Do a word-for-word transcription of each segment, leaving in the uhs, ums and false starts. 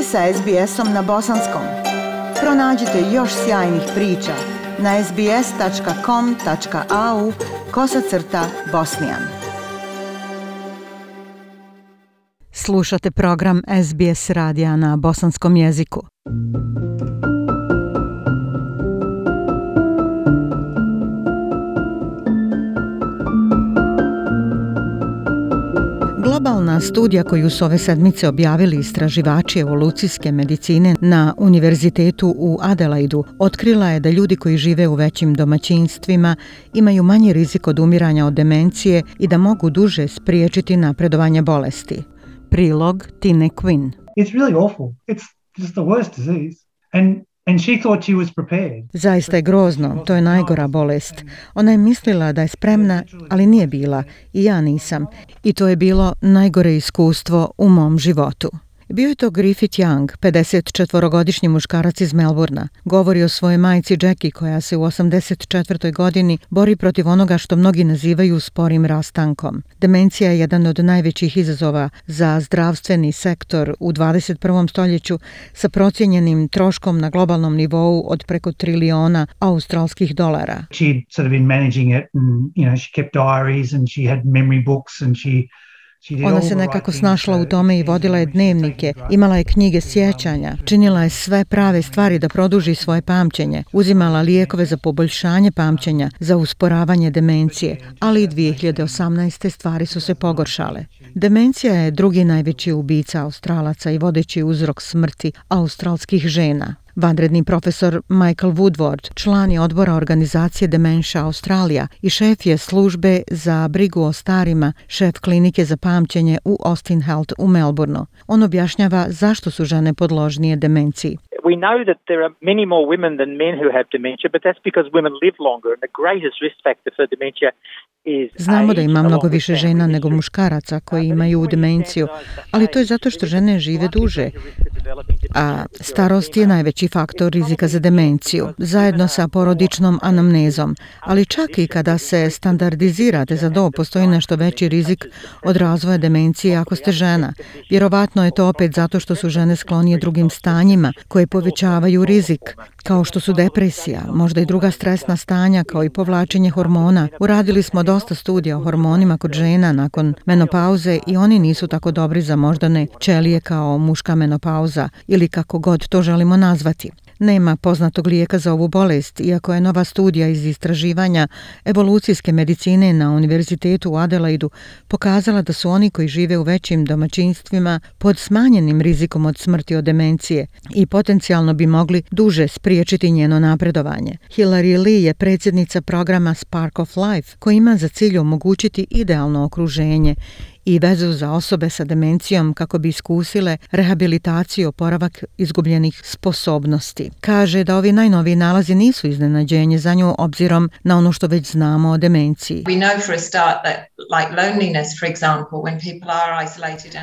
ste sa es be esom na bosanskom. Pronađite još sjajnih priča na es be es tačka com tačka a u kosacrta bosnijan. Slušate program es be es radija na bosanskom jeziku. Globalna studija koju su ove sedmice objavili istraživači evolucijske medicine na Univerzitetu u Adelaidu otkrila je da ljudi koji žive u većim domaćinstvima imaju manji rizik od umiranja od demencije i da mogu duže spriječiti napredovanje bolesti. Prilog Tine Quinn. It's really awful. It's just the worst disease. And And she thought she was prepared. Zaista je grozno, to je najgora bolest. Ona je mislila da je spremna, ali nije bila. I ja nisam. I to je bilo najgore iskustvo u mom životu. Bio je to Griffith Young, pedesetčetvorogodišnji muškarac iz Melbourna. Govori o svojoj majci Jackie koja se u osamdeset četvrtoj godini bori protiv onoga što mnogi nazivaju sporim rastankom. Demencija je jedan od najvećih izazova za zdravstveni sektor u dvadeset prvom stoljeću sa procijenjenim troškom na globalnom nivou od preko triliona australskih dolara. She'd sort of been managing it and, you know, she kept diaries and she had memory books and she Ona se nekako snašla u tome i vodila je dnevnike, imala je knjige sjećanja, činila je sve prave stvari da produži svoje pamćenje, uzimala lijekove za poboljšanje pamćenja, za usporavanje demencije, ali i dvije hiljade osamnaeste. stvari su se pogoršale. Demencija je drugi najveći ubica Australaca i vodeći uzrok smrti australskih žena. Vanredni profesor Michael Woodward, član je odbora organizacije Dementia Australia i šef je službe za brigu o starima, šef klinike za pamćenje u Austin Health u Melbourneu. On objašnjava zašto su žene podložnije demenciji. We know that there are many more women than men who have dementia, but that's because women live longer and the greatest risk factor for dementia is Znamo da ima mnogo više žena nego muškaraca koji imaju demenciju, ali to je zato što žene žive duže, a starost je najveći faktor rizika za demenciju, zajedno sa porodičnom anamnezom. Ali čak i kada se standardizirate za dob, postoji nešto veći rizik od razvoja demencije ako ste žena. Vjerovatno je to opet zato što su žene sklonije drugim stanjima koje povećavaju rizik, kao što su depresija, možda i druga stresna stanja, kao i povlačenje hormona. Uradili smo dosta studija o hormonima kod žena nakon menopauze i oni nisu tako dobri za moždane ćelije kao muška menopauza ili kako god to želimo nazvati. Nema poznatog lijeka za ovu bolest, iako je nova studija iz istraživanja evolucijske medicine na Univerzitetu u Adelaidu pokazala da su oni koji žive u većim domaćinstvima pod smanjenim rizikom od smrti od demencije i potencijalno bi mogli duže spriječiti njeno napredovanje. Hilary Lee je predsjednica programa Spark of Life koji ima za cilj omogućiti idealno okruženje i vezu za osobe sa demencijom kako bi iskusile rehabilitaciju i oporavak izgubljenih sposobnosti. Kaže da ovi najnoviji nalazi nisu iznenađenje za nju obzirom na ono što već znamo o demenciji.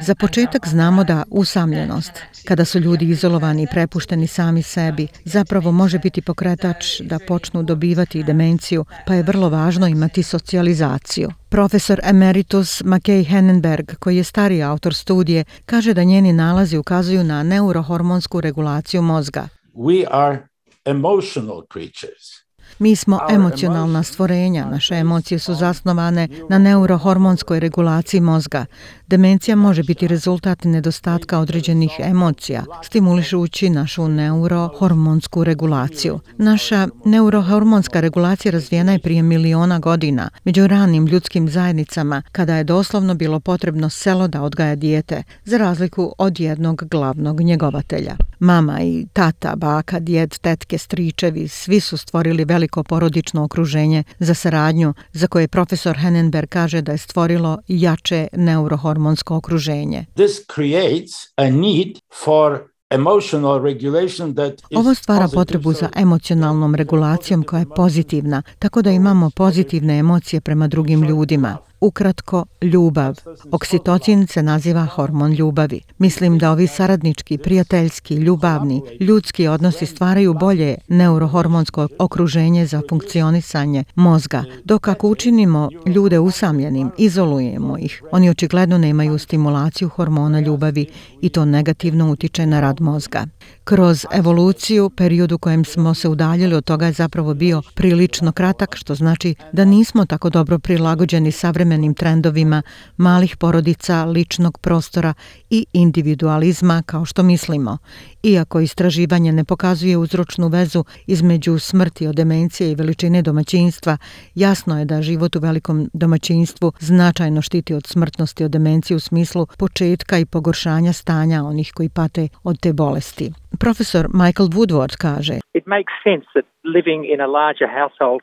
Za početak znamo da usamljenost, kada su ljudi izolovani i prepušteni sami sebi, zapravo može biti pokretač da počnu dobivati demenciju, pa je vrlo važno imati socijalizaciju. Profesor emeritus Mackay Hennenberg, koji je stariji autor studije, kaže da njeni nalazi ukazuju na neurohormonsku regulaciju mozga. We are emotional creatures. Mi smo emocionalna stvorenja, naše emocije su zasnovane na neurohormonskoj regulaciji mozga. Demencija može biti rezultat nedostatka određenih emocija, stimulišući našu neurohormonsku regulaciju. Naša neurohormonska regulacija razvijena je prije miliona godina, među ranim ljudskim zajednicama, kada je doslovno bilo potrebno selo da odgaja dijete, za razliku od jednog glavnog njegovatelja. Mama i tata, baka, djed, tetke, stričevi, svi su stvorili veliko porodično okruženje za saradnju, za koje profesor Hennenberg kaže da je stvorilo jače neurohormonsko okruženje. This creates a need for emotional regulation that is Ovo stvara positive. potrebu za emocionalnom regulacijom koja je pozitivna, tako da imamo pozitivne emocije prema drugim ljudima. ukratko ljubav. Oksitocin se naziva hormon ljubavi. Mislim da ovi saradnički, prijateljski, ljubavni, ljudski odnosi stvaraju bolje neurohormonsko okruženje za funkcionisanje mozga, dok ako učinimo ljude usamljenim, izolujemo ih, oni očigledno nemaju stimulaciju hormona ljubavi i to negativno utiče na rad mozga. Kroz evoluciju, period u kojem smo se udaljili od toga je zapravo bio prilično kratak, što znači da nismo tako dobro prilagođeni savremenim trendovima malih porodica, ličnog prostora i individualizma kao što mislimo. Iako istraživanje ne pokazuje uzročnu vezu između smrti od demencije i veličine domaćinstva, jasno je da život u velikom domaćinstvu značajno štiti od smrtnosti od demencije u smislu početka i pogoršanja stanja onih koji pate od te bolesti. Profesor Michael Woodward kaže: It makes sense that living in a larger household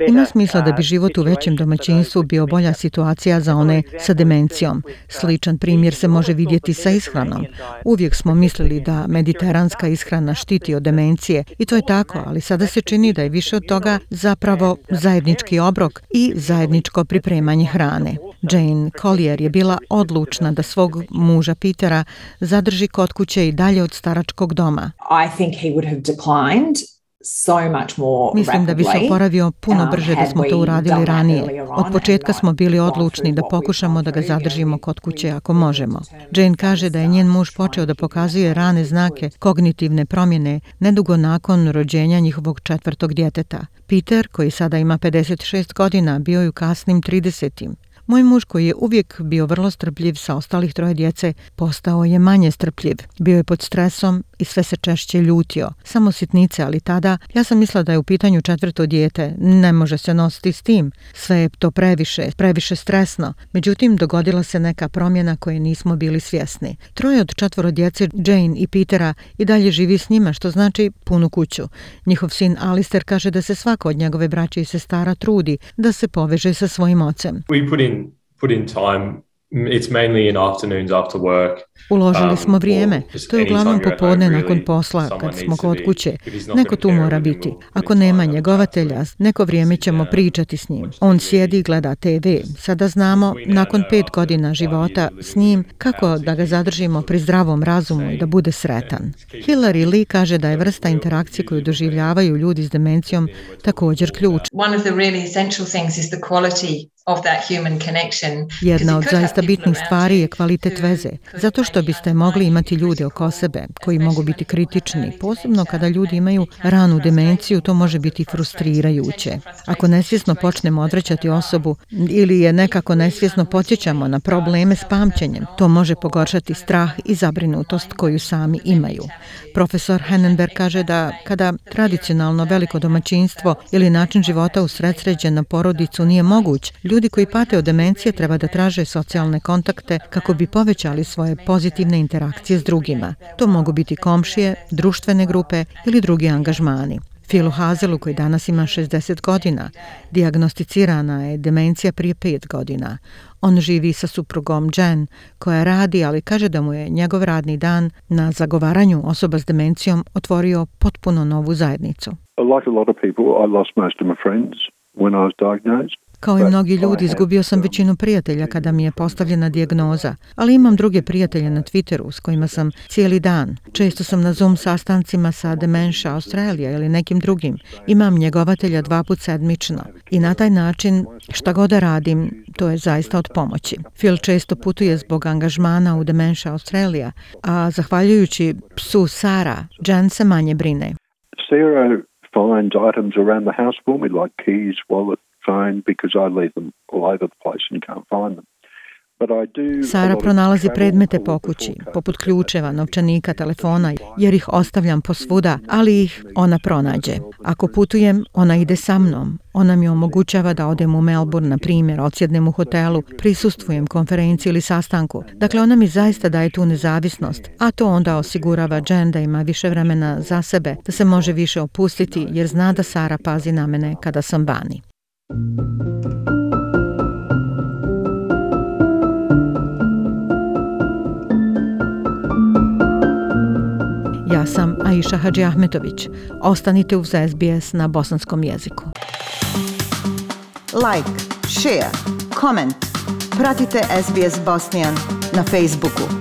Ima smisla da bi život u većem domaćinstvu bio bolja situacija za one sa demencijom. Sličan primjer se može vidjeti sa ishranom. Uvijek smo mislili da mediteranska ishrana štiti od demencije i to je tako, ali sada se čini da je više od toga zapravo zajednički obrok i zajedničko pripremanje hrane. Jane Collier je bila odlučna da svog muža Petera zadrži kod kuće i dalje od staračkog doma. I think he would have declined. So much more Mislim da bi se oporavio puno brže da smo to uradili ranije. Od početka smo bili odlučni da pokušamo da ga zadržimo kod kuće ako možemo. Jane kaže da je njen muž počeo da pokazuje rane znake kognitivne promjene nedugo nakon rođenja njihovog četvrtog djeteta. Peter, koji sada ima pedeset šest godina, bio je u kasnim tridesetim. Moj muž, koji je uvijek bio vrlo strpljiv sa ostalih troje djece, postao je manje strpljiv. Bio je pod stresom i sve se češće ljutio. Samo sitnice, ali tada ja sam mislila da je u pitanju četvrto dijete. Ne može se nositi s tim. Sve je to previše, previše stresno. Međutim, dogodila se neka promjena koje nismo bili svjesni. Troje od četvoro djece, Jane i Petera, i dalje živi s njima, što znači punu kuću. Njihov sin Alistair kaže da se svako od njegove braće i sestara trudi da se poveže sa svojim ocem. We put in put in time. It's mainly in afternoons after work. Uložili smo vrijeme. To je uglavnom popodne nakon posla, kad smo kod kuće. Neko tu mora biti. Ako nema njegovatelja, neko vrijeme ćemo pričati s njim. On sjedi i gleda te ve. Sada znamo, nakon pet godina života s njim, kako da ga zadržimo pri zdravom razumu i da bude sretan. Hilary Lee kaže da je vrsta interakcije koju doživljavaju ljudi s demencijom također ključ. One of the really essential things is the quality of that human connection. Jedna od zaista bitnih stvari je kvalitet veze, zato što biste mogli imati ljude oko sebe koji mogu biti kritični, posebno kada ljudi imaju ranu demenciju, to može biti frustrirajuće. Ako nesvjesno počnemo odvraćati osobu ili je nekako nesvjesno podsjećamo na probleme s pamćenjem, to može pogoršati strah i zabrinutost koju sami imaju. Profesor Hennenberg kaže da kada tradicionalno veliko domaćinstvo ili način života usredsređen na porodicu nije moguć, ljudi koji pate od demencije treba da traže socijalne kontakte kako bi povećali svoje pozitivne interakcije s drugima. To mogu biti komšije, društvene grupe ili drugi angažmani. Philu Hazelu, koji danas ima šezdeset godina, dijagnosticirana je demencija prije pet godina. On živi sa suprugom Jen, koja radi, ali kaže da mu je njegov radni dan na zagovaranju osoba s demencijom otvorio potpuno novu zajednicu. Like a lot of people, I lost most of my friends when I was diagnosed. Kao i mnogi ljudi, izgubio sam većinu prijatelja kada mi je postavljena dijagnoza, ali imam druge prijatelje na Twitteru s kojima sam cijeli dan. Često sam na Zoom sastancima sa Dementia Australia ili nekim drugim. Imam njegovatelja dva put sedmično i na taj način šta god da radim, to je zaista od pomoći. Phil često putuje zbog angažmana u Dementia Australia, a zahvaljujući psu Sara, Jen se manje brine. Sarah finds items around the house for me, like keys, wallet, phone, because I leave them all over the place and you can't find them. Sara pronalazi predmete po kući, poput ključeva, novčanika, telefona, jer ih ostavljam posvuda, ali ih ona pronađe. Ako putujem, ona ide sa mnom. Ona mi omogućava da odem u Melbourne, na primjer, odsjednem u hotelu, prisustvujem konferenciji ili sastanku. Dakle, ona mi zaista daje tu nezavisnost, a to onda osigurava Jen da ima više vremena za sebe, da se može više opustiti, jer zna da Sara pazi na mene kada sam vani. Ja sam Aisha Hadži Ahmetović. Ostanite uz S B S na bosanskom jeziku. Like, share, comment. Pratite S B S Bosnian na Facebooku.